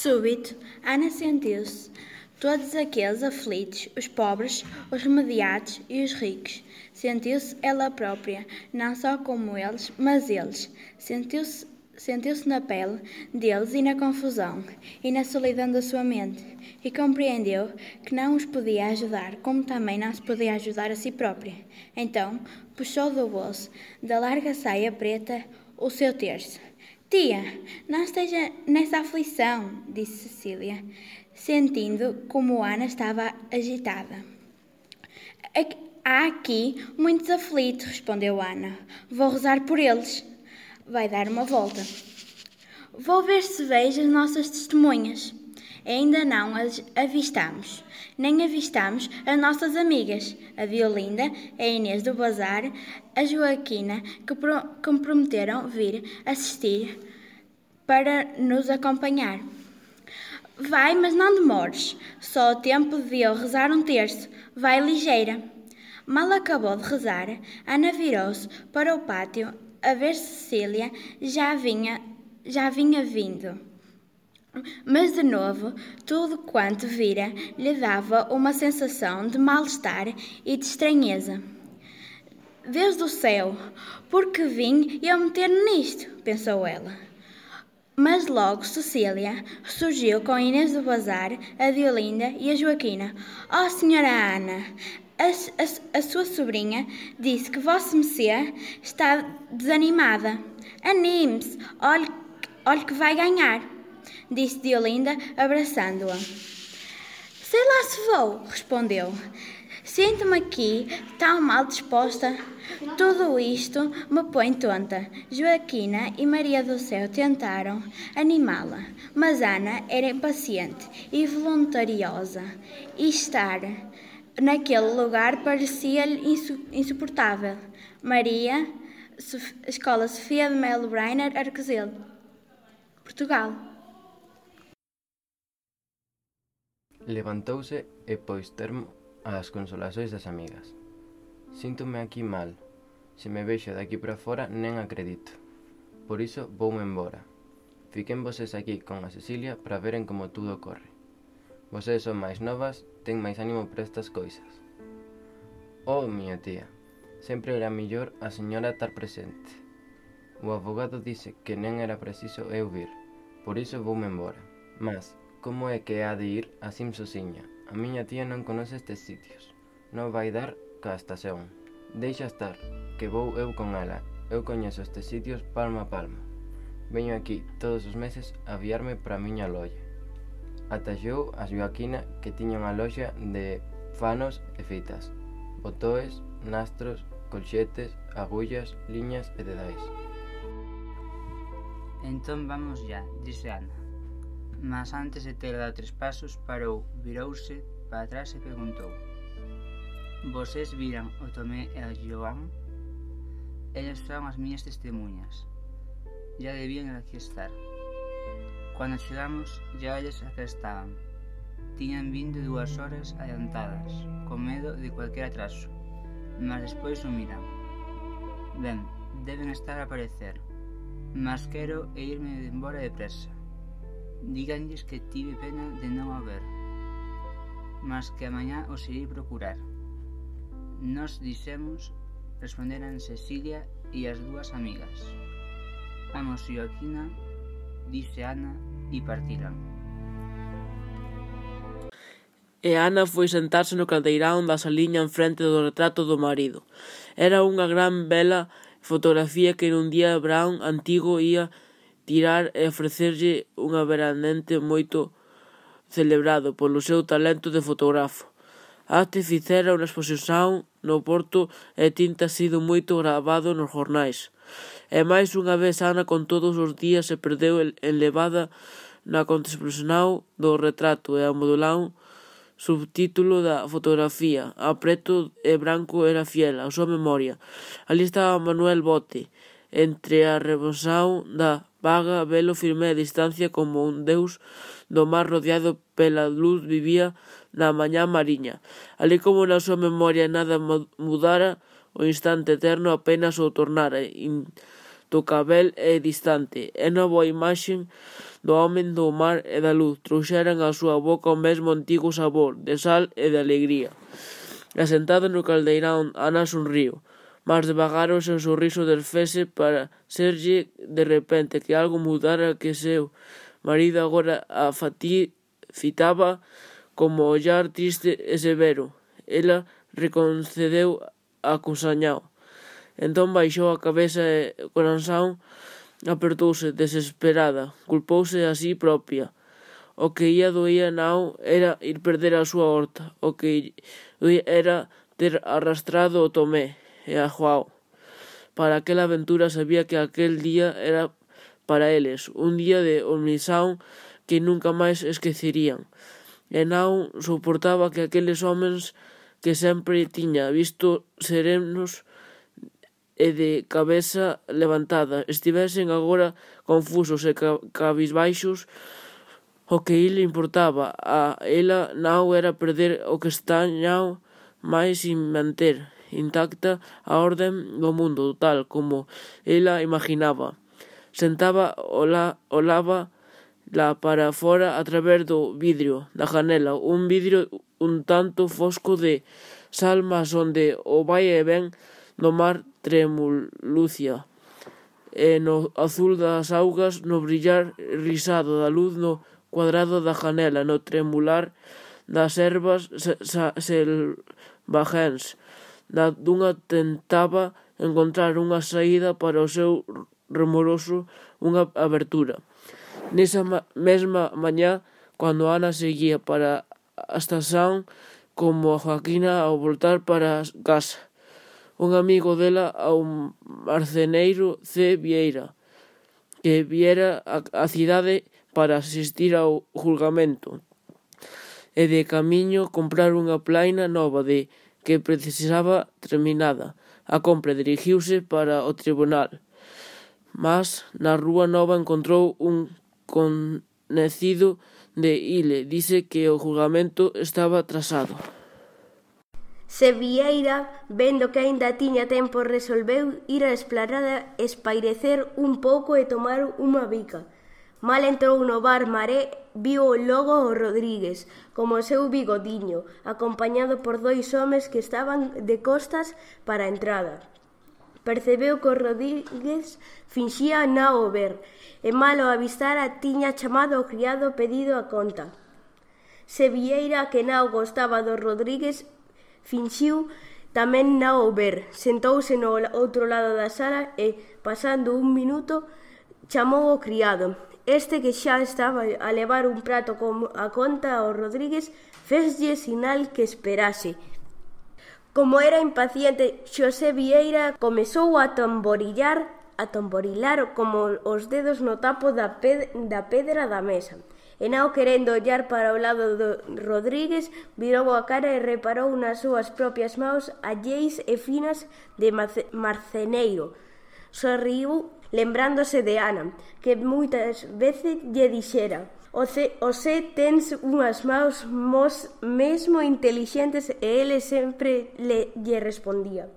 Súbito, Ana sentiu-se. Todos aqueles aflitos, os pobres, os remediados e os ricos. Sentiu-se ela própria, não só como eles, mas eles. Sentiu-se na pele deles e na confusão, e na solidão da sua mente, e compreendeu que não os podia ajudar, como também não se podia ajudar a si própria. Então, puxou do bolso, da larga saia preta, o seu terço. Tia, não esteja nessa aflição, disse Cecília, sentindo como Ana estava agitada. Há aqui muitos aflitos, respondeu Ana. Vou rezar por eles. Vai dar uma volta. Vou ver se vejo as nossas testemunhas. Ainda não as avistamos. Nem avistamos as nossas amigas, a Violinda, a Inês do Bazar, a Joaquina, que me prometeram vir assistir para nos acompanhar. Vai, mas não demores. Só o tempo de eu rezar um terço. Vai ligeira. Mal acabou de rezar, Ana virou-se para o pátio a ver se Cecília já vinha vindo. Mas de novo, tudo quanto vira lhe dava uma sensação de mal-estar e de estranheza. Deus do céu, por que vim eu meter-me nisto? Pensou ela. Mas logo Cecília surgiu com Inês do Bazar, a Violinda e a Joaquina. Oh, senhora Ana, a sua sobrinha disse que vossa Messias está desanimada. Anime-se, olhe que vai ganhar, disse Violinda, abraçando-a. Sei lá se vou, respondeu. Sinto-me aqui tão mal disposta. Tudo isto me põe tonta. Joaquina e Maria do Céu tentaram animá-la, mas Ana era impaciente e voluntariosa, e estar naquele lugar parecia-lhe insuportável. Maria, Escola Sofia de Melo Brainer, Arcozelo, Portugal. Levantouse e pôs termo ás consolações das amigas. Síntome aquí mal. Se me vexo daqui para fora nen acredito. Por iso voume embora. Fiquen voses aquí con a Cecilia para veren como tudo corre. Voses son máis novas, ten máis ánimo para estas coisas. Oh, miña tía, sempre era millor a señora estar presente. O avogado dise que nen era preciso eu vir, por iso voume embora. Mas, como é que ha de ir así sosiña? A miña tía non conoce estes sitios. Non vai dar ca estación. Deixa estar, que vou eu con ela. Eu coñezo estes sitios palmo a palmo. Veño aquí todos os meses a aviarme para a miña lolla. Ataxou a Joaquina, que tiña unha loxa de fanos e fitas, botoes, nastros, colxetes, agullas, liñas e dedais. Entón vamos ya, dise Ana. Mas antes de ter dado 3 pasos, parou, virouse para atrás e preguntou: Voses viran o Tomé e o Joan? Elas son as miñas testemunhas. Ya debían aquí estar. Cando chegamos, ya eles aquí estaban. Tiñan vindo 2 horas adiantadas, con medo de cualquier atraso, mas despois o miran. Ben, deben estar a aparecer, mas quero irme embora depresa. Díganlles que tive pena de non o ver, mas que amañá os irei procurar. Nos dixemos, responderan Cecilia e as 2 amigas. Vamos, Joaquina, dise Ana, e partiran. E Ana foi sentarse no caldeirán da saliña en frente do retrato do marido. Era unha gran bela fotografía que nun día Brown antigo ia tirar e ofrecerlle un veranente moito celebrado polo seu talento de fotógrafo. Até fixera unha exposición no Porto e tinta sido moito gravado nos jornais. E máis unha vez Ana con todos os días se perdeu enlevada na contemplación do retrato e a modulán subtítulo da fotografía. A preto e branco era fiel a súa memoria. Ali estaba Manuel Bote, entre a rebosación da vaga, velo firme a distancia como un deus do mar rodeado pela luz vivía na mañá mariña. Ali como na súa memoria nada mudara, o instante eterno apenas o tornara intocável e distante. É nova a imaxe do home do mar e da luz trouxeran á súa boca o mesmo antigo sabor de sal e de alegría. E sentada no caldeirán, Ana sonriu. Mas devagar o seu sorriso desfese para serlle de repente que algo mudara, que seu marido agora a fitaba como ollar triste e severo. Ela reconcedeu acusañao. Entón baixou a cabeza e o corazón apertouse desesperada. Culpouse a si propia. O que ía doía nao era ir perder a súa horta. O que era ter arrastrado o Tomé e a Joao para aquela aventura. Sabía que aquel día era para eles un día de omnisão que nunca máis esquecerían. E non soportaba que aqueles homens que sempre tiña visto serenos e de cabeza levantada estivesen agora confusos e cabisbaixos. O que lle importaba a ela non era perder o que estañao, mais sin manter intacta a orden do mundo tal como ela imaginaba. Sentaba olaba lá para fora a través do vidrio da janela, un vidrio un tanto fosco de sal, mas onde o vai e ven do mar tremulucia, e no azul das augas, no brillar risado da luz no cuadrado da janela, no tremular das ervas selvagens. Dunha tentaba encontrar unha saída para o seu remoroso, unha abertura. Nesa mesma mañá, cando Ana seguía para a estación como a Joaquina ao voltar para casa, un amigo dela, ao marceneiro C. Vieira, que viera a cidade para asistir ao julgamento e de camiño comprar unha plaina nova de que precisaba terminada. A compra dirixiuse para o tribunal, mas na Rúa Nova encontrou un conocido de Ile. Dice que o julgamento estaba atrasado. Se Vieira, vendo que aínda tiña tempo, resolveu ir á esplanada, espairecer un pouco e tomar unha bica. Mal entrou no bar Maré, viu logo o Rodríguez, como o seu bigodiño, acompañado por dois homes que estaban de costas para a entrada. Percebeu que o Rodríguez finxía non o ver, e mal o avistara tiña chamado ao criado pedido a conta. Se Vieira, que non gostaba do Rodríguez, finxiu tamén non o ver. Sentouse no outro lado da sala e, pasando un minuto, chamou ao criado. Este, que xa estaba a levar un prato con a conta ao Rodríguez, feslle sinal que esperase. Como era impaciente, Xosé Vieira comezou a tamborilar como os dedos no tapo da pedra da mesa. E non querendo ollar para o lado do Rodríguez, virou a cara e reparou nas súas propias mãos alleis e finas de marceneiro. Sorriu lembrándose de Ana, que moitas veces lle dixera: Ose tens unhas mãos mesmo intelixentes, e ele sempre lle respondía: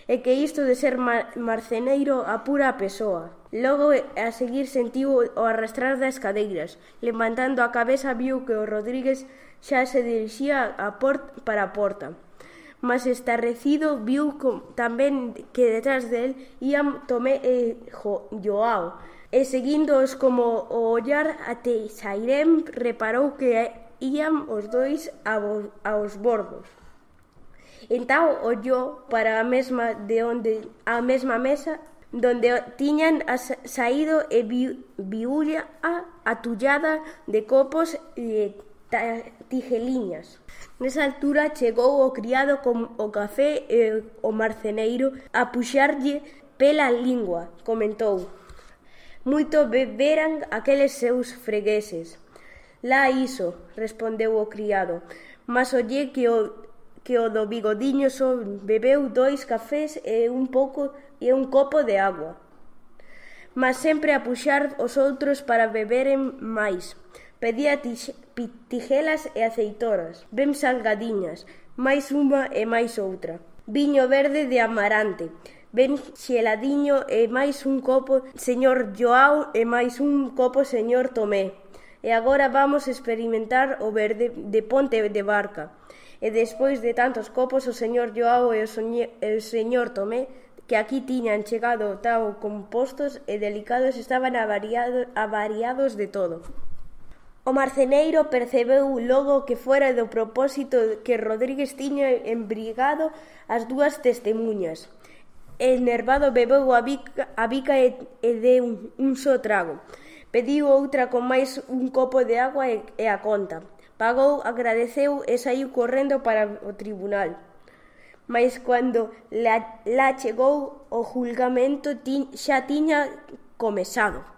e que isto de ser marceneiro apura a persoa. Logo, a seguir, sentiu o arrastrar das cadeiras. Levantando a cabeza, viu que o Rodríguez xa se dirixía para a porta. Mas estarrecido, viu tamén que detrás del ían Tomé e Joao, e seguíndoos como o ollar até sairem, reparou que ían os dois aos bordos. Entón ollou para a mesma mesa donde tiñan saído e viulla atullada de copos e tijeliñas. Nesa altura chegou o criado con o café e o marceneiro a puxarlle pela lingua. Comentou: moito beberan aqueles seus fregueses. Lá iso, respondeu o criado, mas olle que o do bigodiño só bebeu 2 cafés e un copo de agua. Mas sempre a puxar os outros para beberen máis. Pedía tijelas e aceitoras, ben salgadiñas, máis unha e máis outra. Viño verde de amarante, ben xeladiño e máis un copo señor Joao e máis un copo señor Tomé. E agora vamos experimentar o verde de ponte de barca. E despois de tantos copos, o señor Joao e o señor Tomé, que aquí tiñan chegado tao compostos e delicados, estaban avariados de todo. O marceneiro percebeu logo que fora do propósito que Rodríguez tiña embrigado as dúas testemuñas. Enervado bebeu a bica e deu un só trago. Pediu outra con máis un copo de agua e a conta. Pagou, agradeceu e saiu correndo para o tribunal. Mais cando lá chegou, o julgamento xa tiña comezado.